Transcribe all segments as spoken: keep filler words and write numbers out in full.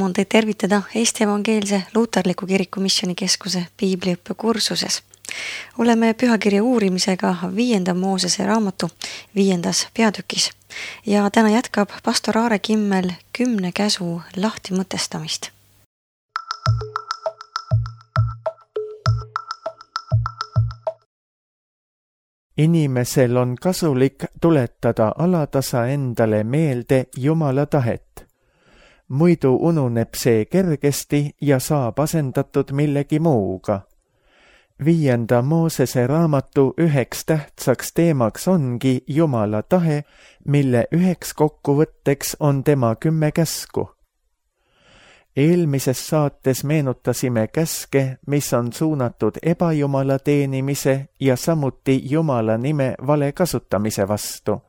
Rõõm on teid tervitada Eesti Evangeelse Luuterliku Kiriku Missioonikeskuse piibliõppekursuses. Oleme pühakirja uurimisega viienda Moosese raamatu viiendas peatükis ja täna jätkab pastor Aare Kimmel kümne käsu lahti mõtestamist. Inimesel on kasulik tuletada alatasa endale meelde Jumala tahet. Muidu ununeb see kergesti ja saab asendatud millegi muuga. Viienda Moosese raamatu üheks tähtsaks teemaks ongi Jumala tahe, mille üheks kokkuvõtteks on tema kümme käsku. Eelmises saates meenutasime käske, mis on suunatud ebajumala teenimise ja samuti Jumala nime vale kasutamise vastu.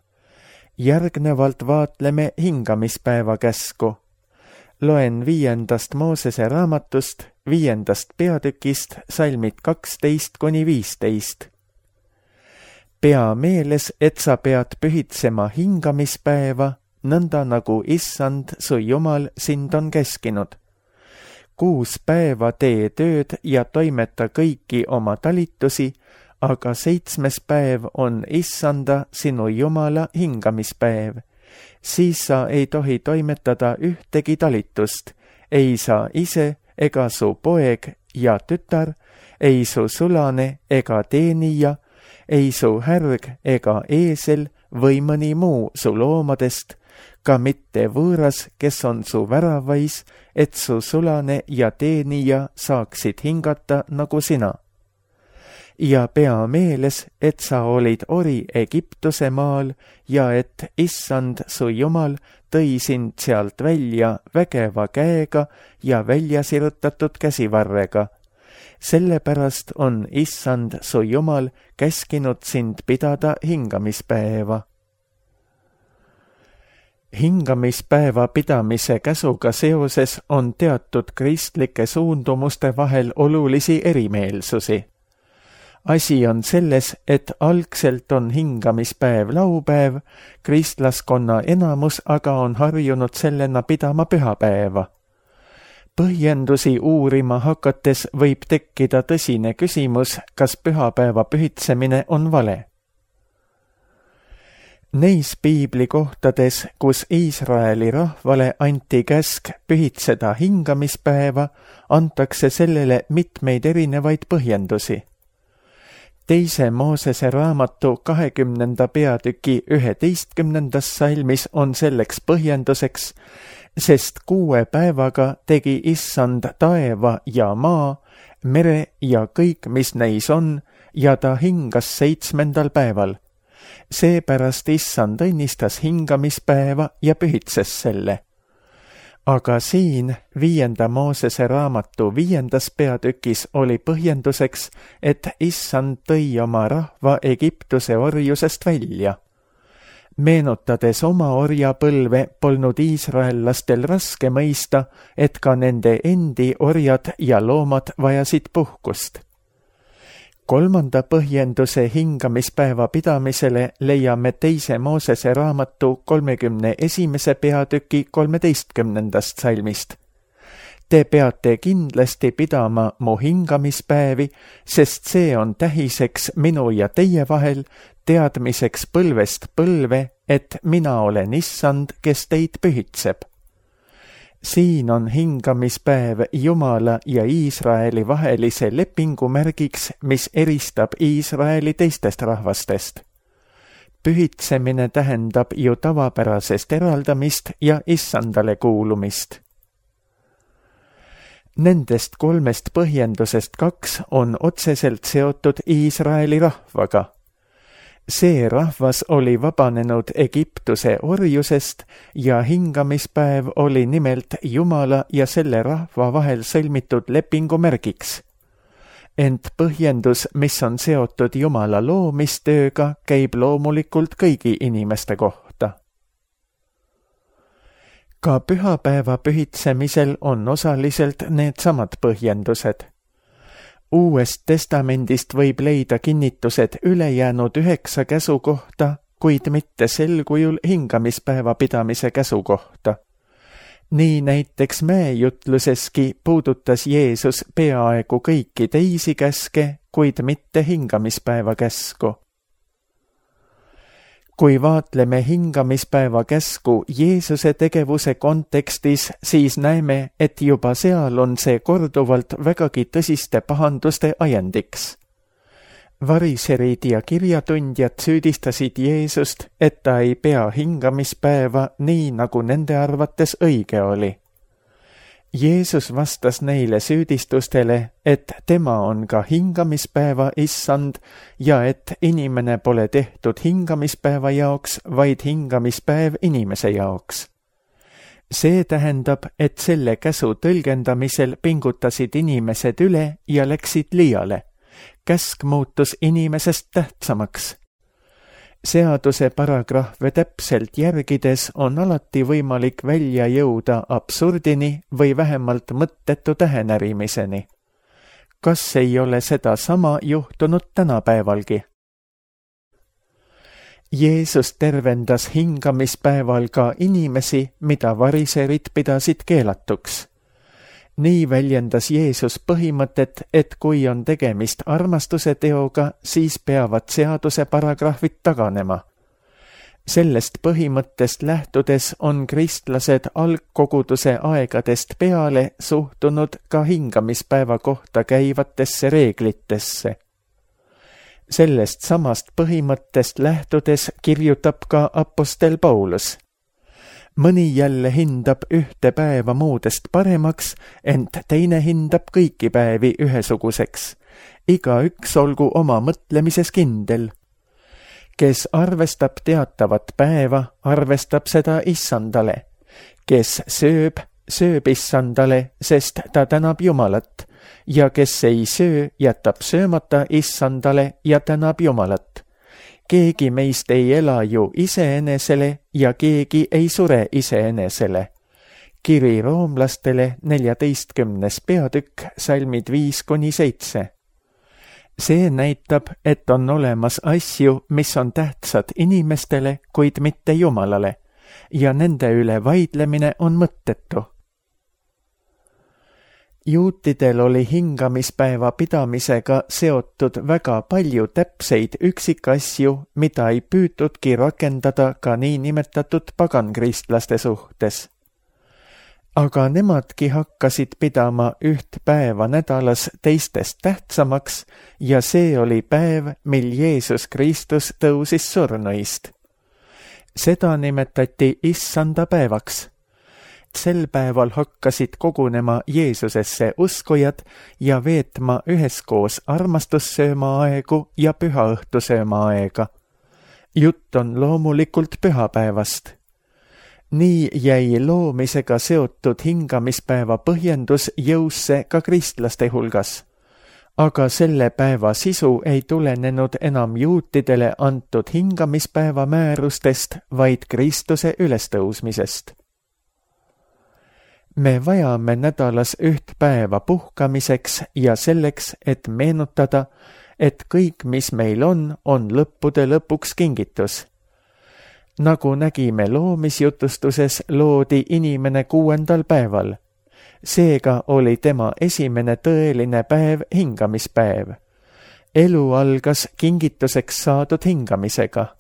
Järgnevalt vaatleme hingamispäeva käsku. Loen viiendast Moosese raamatust, viiendast peatükist, salmid kaksteist kuni viisteist. Pea meeles, et sa pead pühitsema hingamispäeva, nõnda nagu Issand, su Jumal, sind on käskinud. Kuus päeva tee tööd ja toimeta kõiki oma talitusi, aga seitsmes päev on Issanda, sinu Jumala hingamispäev. Siis sa ei tohi toimetada ühtegi talitust, ei sa ise ega su poeg ja tütar, ei su sulane ega teenija, ei su härg ega eesel või mõni muu su loomadest, ka mitte võõras, kes on su väravais, et su sulane ja teenija saaksid hingata nagu sina. Ja pea meeles, et sa olid ori Egiptuse maal ja et Issand, su Jumal, tõi sind sealt välja vägeva käega ja välja sirutatud käsivarrega. Sellepärast on Issand, su Jumal, käskinud sind pidada hingamispäeva. Hingamispäeva pidamise käsuga seoses on teatud kristlike suundumuste vahel olulisi erimeelsusi. Asi on selles, et algselt on hingamispäev laupäev, kristlaskonna enamus aga on harjunud sellena pidama pühapäeva. Põhjendusi uurima hakates võib tekkida tõsine küsimus, kas pühapäeva pühitsemine on vale. Neis piibli kohtades, kus Iisraeli rahvale anti käsk pühitseda hingamispäeva, antakse sellele mitmeid erinevaid põhjendusi. Teise Moosese raamatu kahekümnenda peatüki üheteistkümnendas salmis on selleks põhjenduseks, sest kuue päevaga tegi Issand taeva ja maa, mere ja kõik, mis neis on, ja ta hingas seitsmendal päeval. Seepärast Issand õnnistas hingamispäeva ja pühitses selle. Aga siin viienda Moosese raamatu viiendas peatükis oli põhjenduseks, et Issand tõi oma rahva Egiptuse orjusest välja. Meenutades oma orjapõlve, polnud iisraellastel raske mõista, et ka nende endi orjad ja loomad vajasid puhkust. Kolmanda põhjenduse hingamispäeva pidamisele leiame teise Moosese raamatu kolmekümne esimese peatüki kolmeteistkümnendast salmist. Te peate kindlasti pidama mu hingamispäevi, sest see on tähiseks minu ja teie vahel, teadmiseks põlvest põlve, et mina olen Issand, kes teid pühitseb. Siin on hingamispäev Jumala ja Iisraeli vahelise lepingu märgiks, mis eristab Iisraeli teistest rahvastest. Pühitsemine tähendab ju tavapärasest eraldamist ja Issandale kuulumist. Nendest kolmest põhjendusest kaks on otseselt seotud Iisraeli rahvaga. See rahvas oli vabanenud Egiptuse orjusest ja hingamispäev oli nimelt Jumala ja selle rahva vahel sõlmitud lepingu märgiks. Ent põhjendus, mis on seotud Jumala loomistööga, käib loomulikult kõigi inimeste kohta. Ka pühapäeva pühitsemisel on osaliselt needsamad põhjendused. Uuest testamendist võib leida kinnitused ülejäänud üheksa käsu kohta, kuid mitte sel kujul hingamispäeva pidamise käsu kohta. Nii näiteks mäejutluseski puudutas Jeesus peaaegu kõiki teisi käske, kuid mitte hingamispäeva käsku. Kui vaatleme hingamispäeva käsku Jeesuse tegevuse kontekstis, siis näeme, et juba seal on see korduvalt vägagi tõsiste pahanduste ajendiks. Variserid ja kirjatundjad süüdistasid Jeesust, et ta ei pea hingamispäeva nii, nagu nende arvates õige oli. Jeesus vastas neile süüdistustele, et tema on ka hingamispäeva issand ja et inimene pole tehtud hingamispäeva jaoks, vaid hingamispäev inimese jaoks. See tähendab, et selle käsu tõlgendamisel pingutasid inimesed üle ja läksid liiale. Käsk muutus inimesest tähtsamaks. Seaduse paragrahve täpselt järgides on alati võimalik välja jõuda absurdini või vähemalt mõttetu tähenärimiseni. Kas ei ole seda sama juhtunud tänapäevalgi? Jeesus tervendas hingamispäeval ka inimesi, mida variserid pidasid keelatuks. Nii väljendas Jeesus põhimõtet, et kui on tegemist armastuse teoga, siis peavad seaduse paragrahvid taganema. Sellest põhimõttest lähtudes on kristlased algkoguduse aegadest peale suhtunud ka hingamispäeva kohta käivatesse reeglitesse. Sellest samast põhimõttest lähtudes kirjutab ka apostel Paulus. Mõni jälle hindab ühte päeva muudest paremaks, ent teine hindab kõiki päevi ühesuguseks. Igaüks olgu oma mõtlemises kindel. Kes arvestab teatavat päeva, arvestab seda issandale. Kes sööb, sööb issandale, sest ta tänab Jumalat. Ja kes ei söö, jätab söömata issandale ja tänab Jumalat. Keegi meist ei ela ju iseenesele ja keegi ei sure iseenesele. Kiri roomlastele neljateistkümnes peatükk, salmid viis kuni seitse. See näitab, et on olemas asju, mis on tähtsad inimestele, kuid mitte Jumalale, ja nende üle vaidlemine on mõttetu. Juutidel oli hingamispäeva pidamisega seotud väga palju täpseid üksikasju, mida ei püütudki rakendada ka niinimetatud pagankristlaste suhtes. Aga nemadki hakkasid pidama üht päeva nädalas teistest tähtsamaks ja see oli päev, mil Jeesus Kristus tõusis surnuist. Seda nimetati issanda päevaks. Sel päeval hakkasid kogunema Jeesusesse uskujad ja veetma üheskoos armastussööma aegu ja pühaõhtusööma aega. Jutt on loomulikult pühapäevast. Nii jäi loomisega seotud hingamispäeva põhjendus jõusse ka kristlaste hulgas. Aga selle päeva sisu ei tulenenud enam juutidele antud hingamispäeva määrustest, vaid Kristuse ülestõusmisest. Me vajame nädalas üht päeva puhkamiseks ja selleks, et meenutada, et kõik, mis meil on, on lõppude lõpuks kingitus. Nagu nägime loomisjutustuses, loodi inimene kuuendal päeval. Seega oli tema esimene tõeline päev hingamispäev. Elu algas kingituseks saadud hingamisega.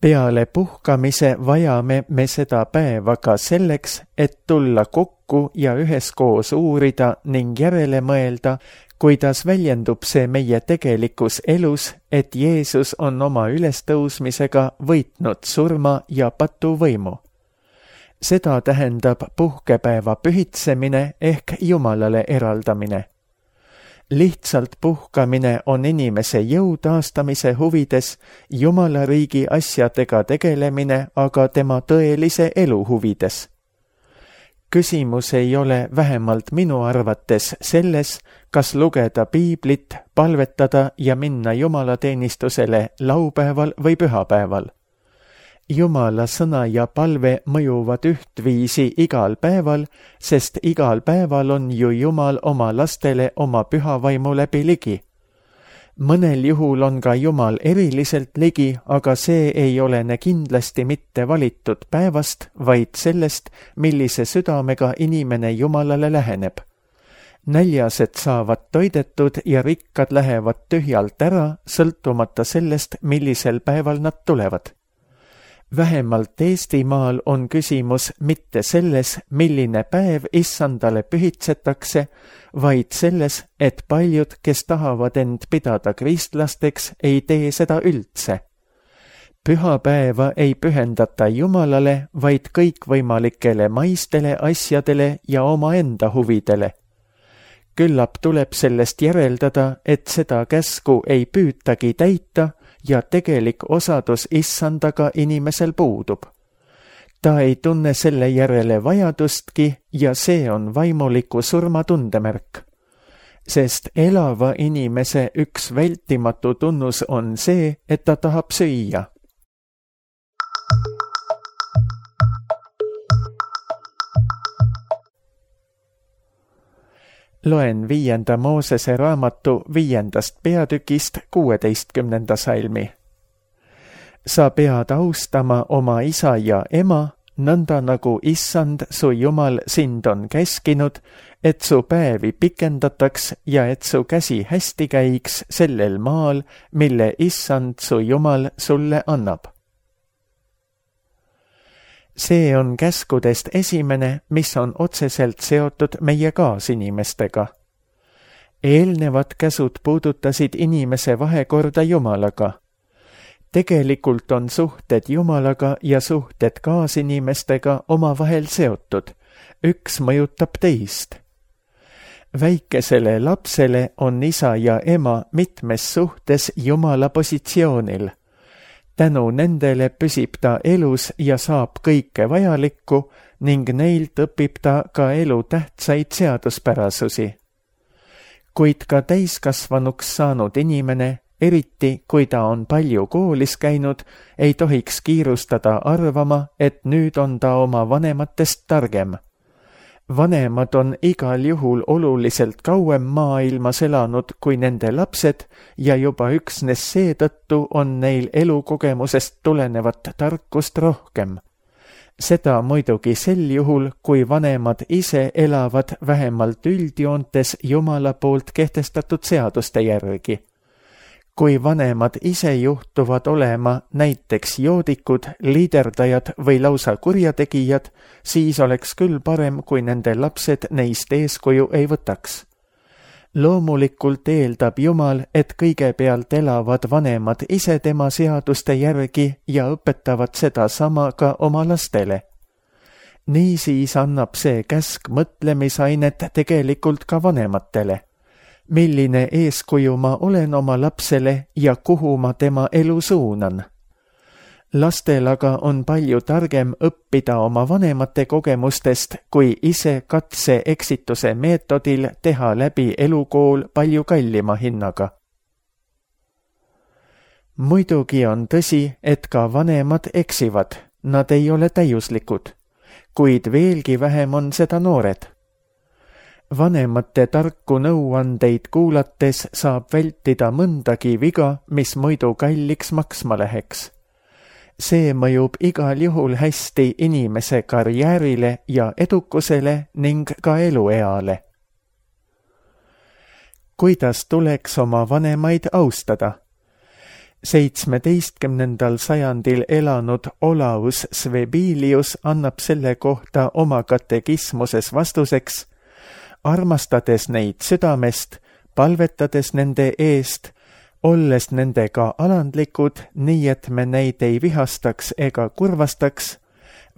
Peale puhkamise vajame me seda päeva ka selleks, et tulla kokku ja üheskoos uurida ning järele mõelda, kuidas väljendub see meie tegelikus elus, et Jeesus on oma ülestõusmisega võitnud surma ja patuvõimu. Seda tähendab puhkepäeva pühitsemine ehk Jumalale eraldamine. Lihtsalt puhkamine on inimese jõu taastamise huvides, Jumala riigi asjadega tegelemine aga tema tõelise elu huvides. Küsimus ei ole vähemalt minu arvates selles, kas lugeda piiblit, palvetada ja minna jumalateenistusele laupäeval või pühapäeval. Jumala sõna ja palve mõjuvad ühtviisi igal päeval, sest igal päeval on ju Jumal oma lastele oma pühavaimu läbi ligi. Mõnel juhul on ka Jumal eriliselt ligi, aga see ei olene kindlasti mitte valitud päevast, vaid sellest, millise südamega inimene Jumalale läheneb. Näljased saavad toidetud ja rikkad lähevad tühjalt ära, sõltumata sellest, millisel päeval nad tulevad. Vähemalt Eestimaal on küsimus mitte selles, milline päev issandale pühitsetakse, vaid selles, et paljud, kes tahavad end pidada kristlasteks, ei tee seda üldse. Pühapäeva ei pühendata Jumalale, vaid kõikvõimalikele maistele asjadele ja omaenda huvidele. Küllap tuleb sellest järeldada, et seda käsku ei püütagi täita ja tegelik osadus issandaga inimesel puudub. Ta ei tunne selle järele vajadustki ja see on vaimuliku surma tundemärk. Sest elava inimese üks vältimatu tunnus on see, et ta tahab süüa. Loen viienda Moosese raamatu viiendast peatükist kuueteistkümnenda salmi. Sa pead austama oma isa ja ema, nõnda nagu issand su Jumal sind on käskinud, et su päevi pikendataks ja et su käsi hästi käiks sellel maal, mille issand su Jumal sulle annab. See on käskudest esimene, mis on otseselt seotud meie kaasinimestega. Eelnevad käsud puudutasid inimese vahekorda Jumalaga. Tegelikult on suhted Jumalaga ja suhted kaasinimestega omavahel seotud. Üks mõjutab teist. Väikesele lapsele on isa ja ema mitmes suhtes Jumala positsioonil. Tänu nendele püsib ta elus ja saab kõike vajalikku ning neilt õpib ta ka elu tähtsaid seaduspärasusi. Kuid ka täiskasvanuks saanud inimene, eriti kui ta on palju koolis käinud, ei tohiks kiirustada arvama, et nüüd on ta oma vanematest targem. Vanemad on igal juhul oluliselt kauem maailmas elanud kui nende lapsed ja juba üksnes seetõttu on neil elukogemusest tulenevat tarkust rohkem. Seda muidugi sel juhul, kui vanemad ise elavad vähemalt üldjoontes Jumala poolt kehtestatud seaduste järgi. Kui vanemad ise juhtuvad olema näiteks joodikud, liiderdajad või lausa kurjategijad, siis oleks küll parem, kui nende lapsed neist eeskuju ei võtaks. Loomulikult eeldab Jumal, et kõigepealt elavad vanemad ise tema seaduste järgi ja õpetavad seda sama ka oma lastele. Niisiis annab see käsk mõtlemisainet tegelikult ka vanematele. Milline eeskuju ma olen oma lapsele ja kuhu ma tema elu suunan. Lastel aga on palju targem õppida oma vanemate kogemustest, kui ise katse eksituse meetodil teha läbi elukool palju kallima hinnaga. Muidugi on tõsi, et ka vanemad eksivad, nad ei ole täiuslikud, kuid veelgi vähem on seda noored. Vanemate tarku nõuandeid kuulates saab vältida mõndagi viga, mis muidu kalliks maksma läheks. See mõjub igal juhul hästi inimese karjäärile ja edukusele ning ka elueale. Kuidas tuleks oma vanemaid austada? seitsmeteistkümnendal sajandil elanud Olaus Svebilius annab selle kohta oma katekismuses vastuseks: armastades neid südamest, palvetades nende eest, olles nendega alandlikud, nii et me neid ei vihastaks ega kurvastaks,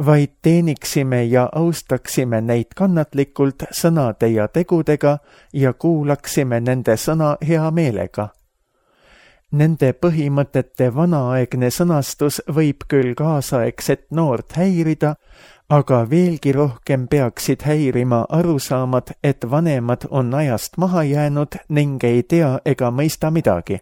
vaid teeniksime ja austaksime neid kannatlikult sõnade ja tegudega ja kuulaksime nende sõna hea meelega. Nende põhimõtete vanaaegne sõnastus võib küll kaasaegset noort häirida, aga veelgi rohkem peaksid häirima arusaamad, et vanemad on ajast maha jäänud ning ei tea ega mõista midagi.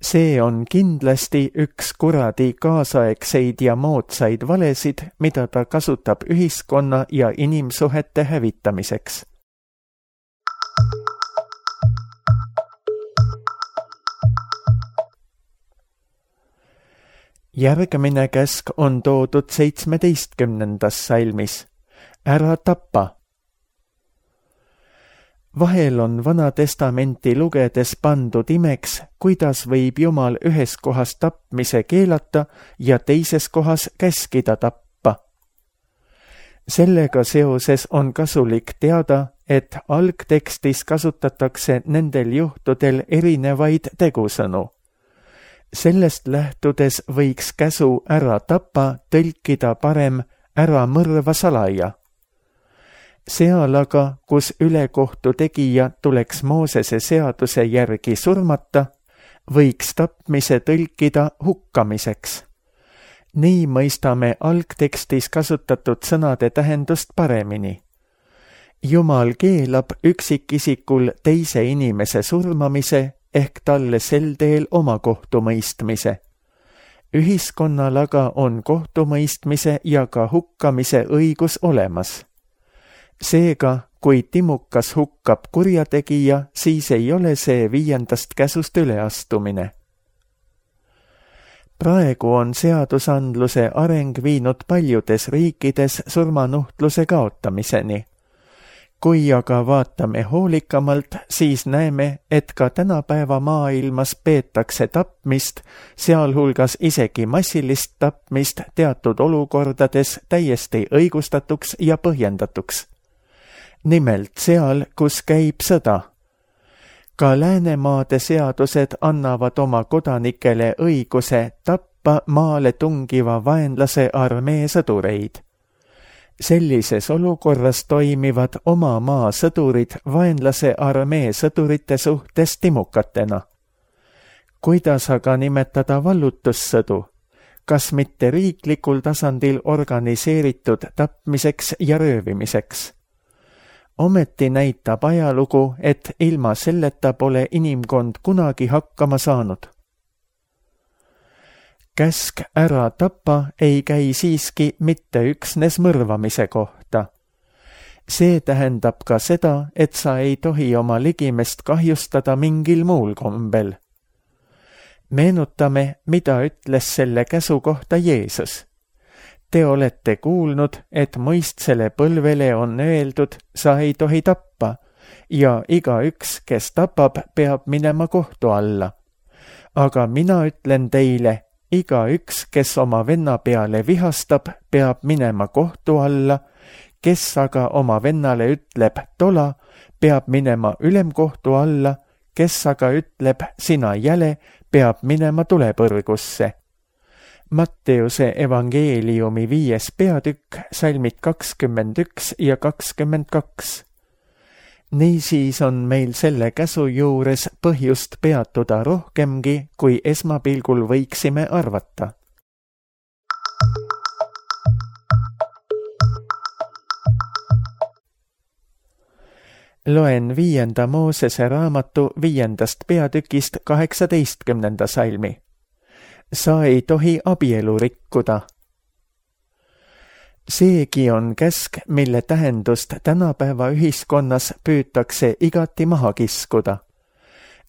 See on kindlasti üks kuradi kaasaegseid ja moodsaid valesid, mida ta kasutab ühiskonna ja inimsuhete hävitamiseks. Järgmine käsk on toodud seitsmeteistkümnendas salmis. Ära tapa. Vahel on Vana Testamenti lugedes pandud imeks, kuidas võib Jumal ühes kohas tapmise keelata ja teises kohas käskida tappa. Sellega seoses on kasulik teada, et algtekstis kasutatakse nendel juhtudel erinevaid tegusõnu. Sellest lähtudes võiks käsu ära tapa tõlkida parem ära mõrva salaja. Seal aga, kus ülekohtu tegija tuleks Moosese seaduse järgi surmata, võiks tapmise tõlkida hukkamiseks. Nii mõistame algtekstis kasutatud sõnade tähendust paremini. Jumal keelab üksikisikul teise inimese surmamise ehk talle sel teel oma kohtumõistmise. Ühiskonnal aga on kohtumõistmise ja ka hukkamise õigus olemas. Seega, kui timukas hukkab kurjategija, siis ei ole see viiendast käsust üleastumine. Praegu on seadusandluse areng viinud paljudes riikides surmanuhtluse kaotamiseni. Kui aga vaatame hoolikamalt, siis näeme, et ka tänapäeva maailmas peetakse tapmist, sealhulgas isegi massilist tapmist teatud olukordades täiesti õigustatuks ja põhjendatuks. Nimelt seal, kus käib sõda. Ka Läänemaade seadused annavad oma kodanikele õiguse tappa maale tungiva vaenlase armee sõdureid. Sellises olukorras toimivad oma maa sõdurid vaenlase armee sõdurite suhtes timukatena. Kuidas aga nimetada vallutussõdu? Kas mitte riiklikul tasandil organiseeritud tapmiseks ja röövimiseks? Ometi näitab ajalugu, et ilma selleta pole inimkond kunagi hakkama saanud. Käsk ära tapa ei käi siiski mitte üksnes mõrvamise kohta. See tähendab ka seda, et sa ei tohi oma ligimest kahjustada mingil muul kombel. Meenutame, mida ütles selle käsu kohta Jeesus. Te olete kuulnud, et mõistsele põlvele on öeldud, sa ei tohi tappa, ja igaüks, kes tapab, peab minema kohtu alla. Aga mina ütlen teile, igaüks, kes oma venna peale vihastab, peab minema kohtu alla, kes aga oma vennale ütleb tola, peab minema ülemkohtu alla, kes aga ütleb sina jäle, peab minema tulepõrgusse. Matteuse evangeeliumi viies peatükk, salmid kakskümmend üks ja kakskümmend kaks. Niisiis on meil selle käsu juures põhjust peatuda rohkemgi, kui esmapilgul võiksime arvata. Loen viienda Moosese raamatu viiendast peatükist kaheksateistkümnenda salmi. Sa ei tohi abielu rikkuda. Seegi on käsk, mille tähendust tänapäeva ühiskonnas püütakse igati maha kiskuda.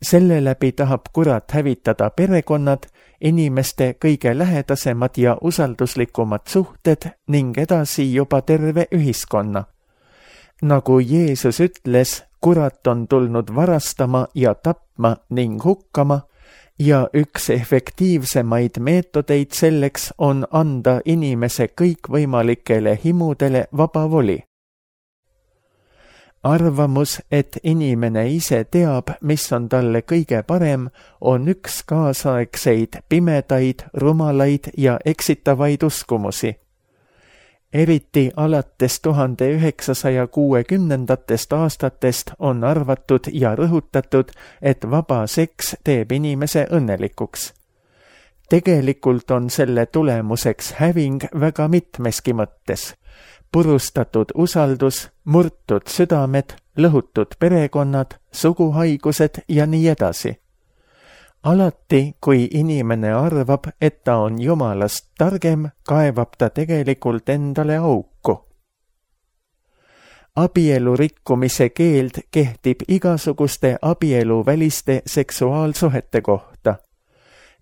Selle läbi tahab kurat hävitada perekonnad, inimeste kõige lähedasemad ja usalduslikumad suhted ning edasi juba terve ühiskonna. Nagu Jeesus ütles, kurat on tulnud varastama ja tapma ning hukkama, ja üks efektiivsemaid meetodeid selleks on anda inimese kõikvõimalikele himudele vaba voli. Arvamus, et inimene ise teab, mis on talle kõige parem, on üks kaasaegseid pimedaid, rumalaid ja eksitavaid uskumusi. Eriti alates tuhande üheksasaja kuuekümnendatest aastatest on arvatud ja rõhutatud, et vaba seks teeb inimese õnnelikuks. Tegelikult on selle tulemuseks häving väga mitmeski mõttes. Purustatud usaldus, murtud südamed, lõhutud perekonnad, suguhaigused ja nii edasi. Alati, kui inimene arvab, et ta on Jumalast targem, kaevab ta tegelikult endale auku. Abielu rikkumise keeld kehtib igasuguste abieluväliste seksuaalsuhete kohta.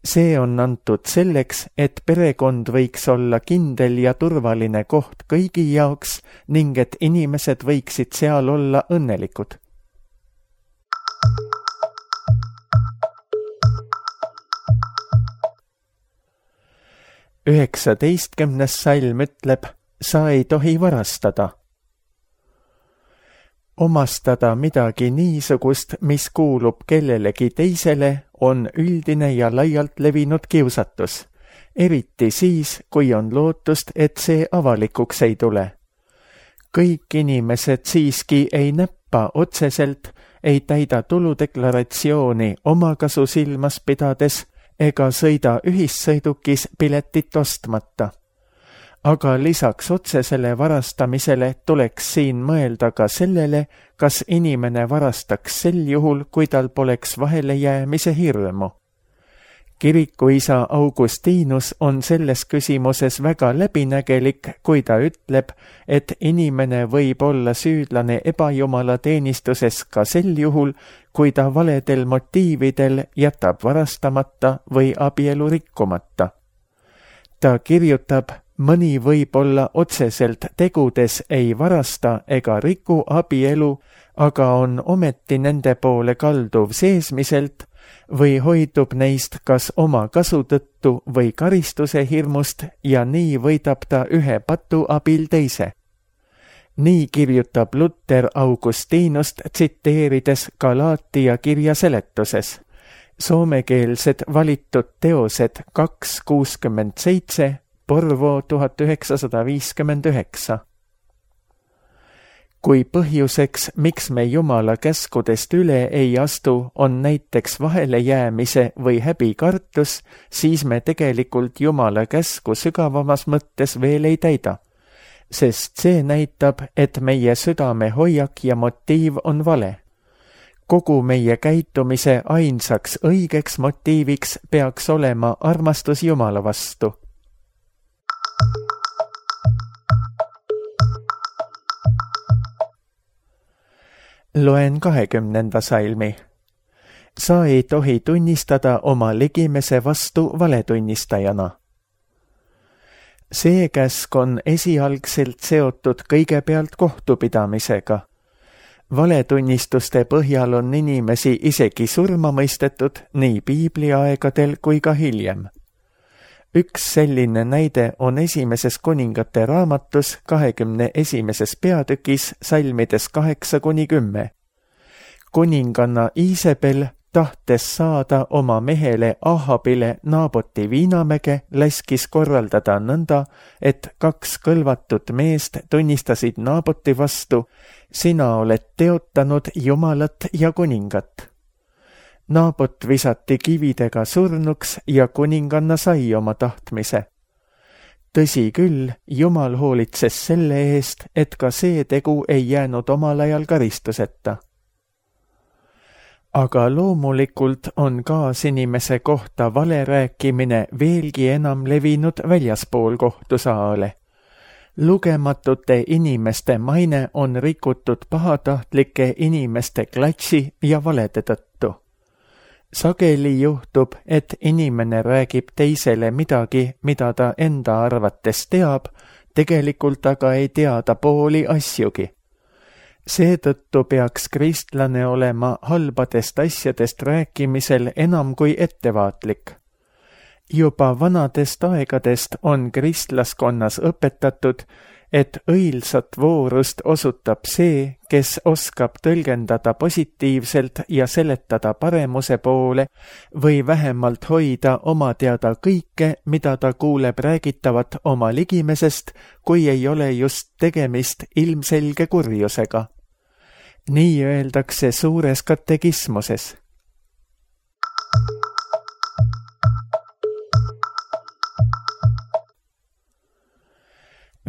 See on antud selleks, et perekond võiks olla kindel ja turvaline koht kõigi jaoks ning et inimesed võiksid seal olla õnnelikud. üheksateistkümnes salm ütleb, sa ei tohi varastada. Omastada midagi niisugust, mis kuulub kellelegi teisele, on üldine ja laialt levinud kiusatus, eriti siis, kui on lootust, et see avalikuks ei tule. Kõik inimesed siiski ei näppa otseselt, ei täida tuludeklaratsiooni omakasu silmas pidades ega sõida ühissõidukis piletit ostmata. Aga lisaks otsesele varastamisele tuleks siin mõelda ka sellele, kas inimene varastaks sel juhul, kui tal poleks vahelejäämise hirmu. Kirikuisa Augustinus on selles küsimuses väga läbinägelik, kui ta ütleb, et inimene võib olla süüdlane ebajumala teenistuses ka sel juhul, kui ta valedel motiividel jätab varastamata või abielu rikkumata. Ta kirjutab, mõni võib olla otseselt tegudes ei varasta ega riku abielu, aga on ometi nende poole kalduv seesmiselt või hoidub neist kas oma kasu tõttu või karistuse hirmust ja nii võidab ta ühe patu abil teise. Nii kirjutab Luter Augustinust tsiteerides Galaatia kirja seletuses. Soomekeelsed valitud teosed kaks kuuskümmend seitse, Porvo tuhat üheksasada viiskümmend üheksa. Kui põhjuseks, miks me Jumala käskudest üle ei astu, on näiteks vahelejäämise või häbikartus, siis me tegelikult Jumala käsku sügavamas mõttes veel ei täida, sest see näitab, et meie südame hoiak ja motiiv on vale. Kogu meie käitumise ainsaks õigeks motiiviks peaks olema armastus Jumala vastu. Loen kahekümnenda salmi. Sa ei tohi tunnistada oma ligimese vastu valetunnistajana. See käsk on esialgselt seotud kõigepealt kohtupidamisega. Valetunnistuste põhjal on inimesi isegi surma mõistetud nii piibliaegadel kui ka hiljem. Üks selline näide on esimeses kuningate raamatus kahekümne esimeses peatükis salmides kaheksa kuni kümme. Kuninganna Iisabel, tahtes saada oma mehele Ahabile Naaboti viinamäge, laskis korraldada nõnda, et kaks kõlvatut meest tunnistasid Naaboti vastu, sina oled teotanud Jumalat ja kuningat. Naabot visati kividega surnuks ja kuninganna sai oma tahtmise. Tõsi küll, Jumal hoolitses selle eest, et ka see tegu ei jäänud omal ajal karistuseta. Aga loomulikult on kaasinimese kohta valerääkimine veelgi enam levinud väljaspool kohtusaale. Lugematute inimeste maine on rikutud pahatahtlike inimeste klatsi ja valede tõttu. Sageli juhtub, et inimene räägib teisele midagi, mida ta enda arvates teab, tegelikult aga ei tea ta pooli asjugi. Seetõttu peaks kristlane olema halbadest asjadest rääkimisel enam kui ettevaatlik. Juba vanadest aegadest on kristlaskonnas õpetatud, et õilsat voorust osutab see, kes oskab tõlgendada positiivselt ja seletada paremuse poole või vähemalt hoida oma teada kõike, mida ta kuuleb räägitavat oma ligimesest, kui ei ole just tegemist ilmselge kurjusega. Nii öeldakse suures katekismuses.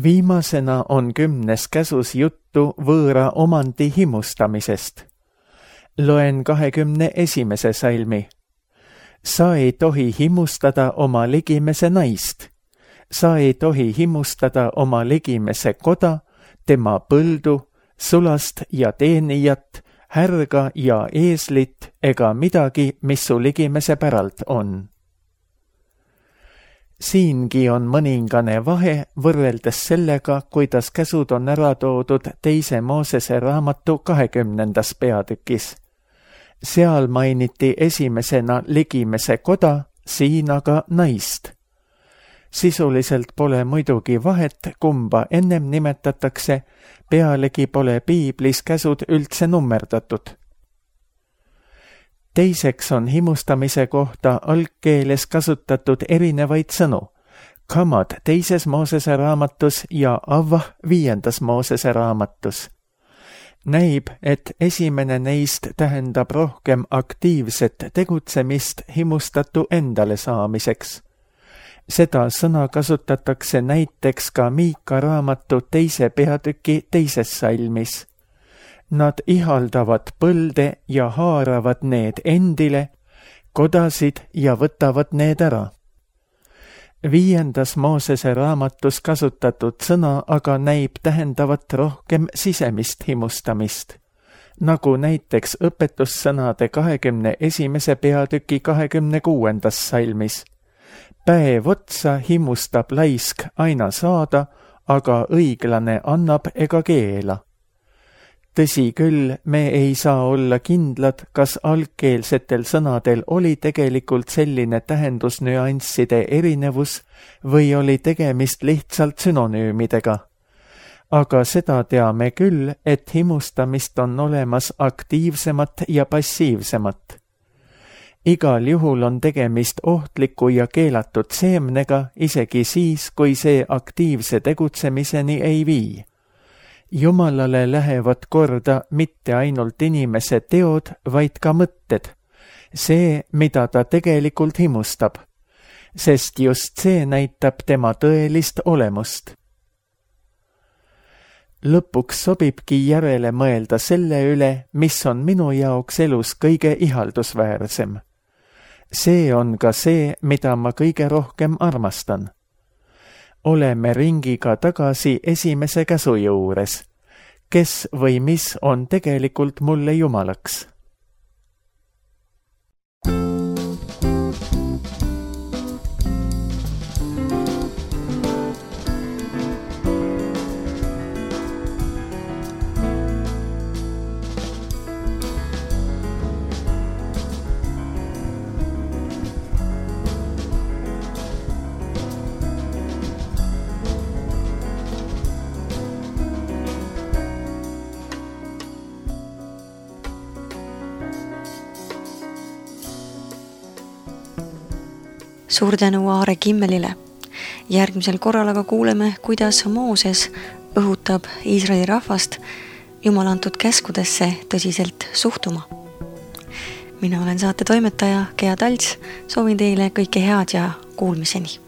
Viimasena on kümnes käsus juttu võõra omandi himustamisest. Loen kahekümne esimese salmi. Sa ei tohi himustada oma ligimese naist. Sa ei tohi himustada oma ligimese koda, tema põldu, sulast ja teenijat, härga ja eeslit ega midagi, mis su ligimese päralt on. Siingi on mõningane vahe võrreldes sellega, kuidas käsud on ära toodud teise Moosese raamatu kahekümnendas peatükis. Seal mainiti esimesena ligimese koda, siin aga naist. Sisuliselt pole muidugi vahet, kumba ennem nimetatakse, pealegi pole piiblis käsud üldse nummerdatud. Teiseks on himustamise kohta algkeeles kasutatud erinevaid sõnu. Kamad teises Moosese raamatus ja Avvah viiendas Moosese raamatus. Näib, et esimene neist tähendab rohkem aktiivset tegutsemist himustatu endale saamiseks. Seda sõna kasutatakse näiteks ka Miika raamatu teise peatüki teises salmis. Nad ihaldavad põlde ja haaravad need endile, kodasid ja võtavad need ära. Viiendas Moosese raamatus kasutatud sõna aga näib tähendavat rohkem sisemist himustamist, nagu näiteks õpetussõnade kahekümne esimese peatüki kahekümne kuuendas salmis. Päev otsa himustab laisk aina saada, aga õiglane annab ega keela. Tõsi küll, me ei saa olla kindlad, kas algkeelsetel sõnadel oli tegelikult selline tähendusnüansside erinevus või oli tegemist lihtsalt sünonüümidega. Aga seda teame küll, et himustamist on olemas aktiivsemat ja passiivsemat. Igal juhul on tegemist ohtliku ja keelatud seemnega, isegi siis, kui see aktiivse tegutsemiseni ei vii. Jumalale lähevad korda mitte ainult inimese teod, vaid ka mõtted. See, mida ta tegelikult himustab. Sest just see näitab tema tõelist olemust. Lõpuks sobibki järele mõelda selle üle, mis on minu jaoks elus kõige ihaldusväärsem. See on ka see, mida ma kõige rohkem armastan. Oleme ringiga tagasi esimese käsu juures. Kes või mis on tegelikult mulle jumalaks? Suur tänu Aare Kimmelile. Järgmisel korral aga kuuleme, kuidas Mooses õhutab Iisraeli rahvast Jumala antud käskudesse tõsiselt suhtuma. Mina olen saate toimetaja Gea Talts, soovin teile kõike head ja kuulmiseni.